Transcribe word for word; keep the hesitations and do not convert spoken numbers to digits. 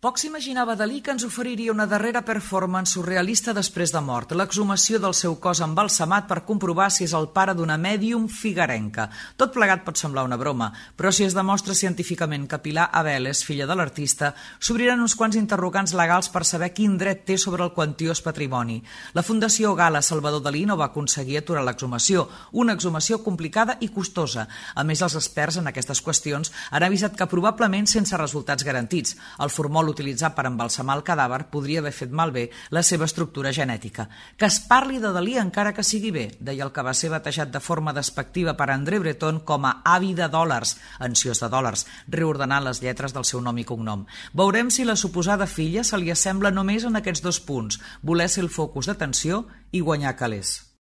Poc s'imaginava Dalí que ens oferiria una darrera performance surrealista després de mort, l'exhumació del seu cos embalsamat per comprovar si és el pare d'una mèdium figarenca. Tot plegat pot semblar una broma, però si es demostra científicament que Pilar Abel és filla de l'artista, s'obriran uns quants interrogants legals per saber quin dret té sobre el quantiós patrimoni. La Fundació Gala Salvador Dalí no va aconseguir aturar l'exhumació, una exhumació complicada i costosa. A més, els experts en aquestes qüestions han avisat que probablement sense resultats garantits. El formol utilitzat per embalsamar el cadàver podria haver fet malbé la seva estructura genètica. Que es parli de Dalí encara que sigui bé, deia el que va ser batejat de forma despectiva per André Breton com a avi de dòlars, ansiós de dòlars, reordenant les lletres del seu nom i cognom. Veurem si la suposada filla se li assembla només en aquests dos punts, voler ser el focus d'atenció i guanyar calés.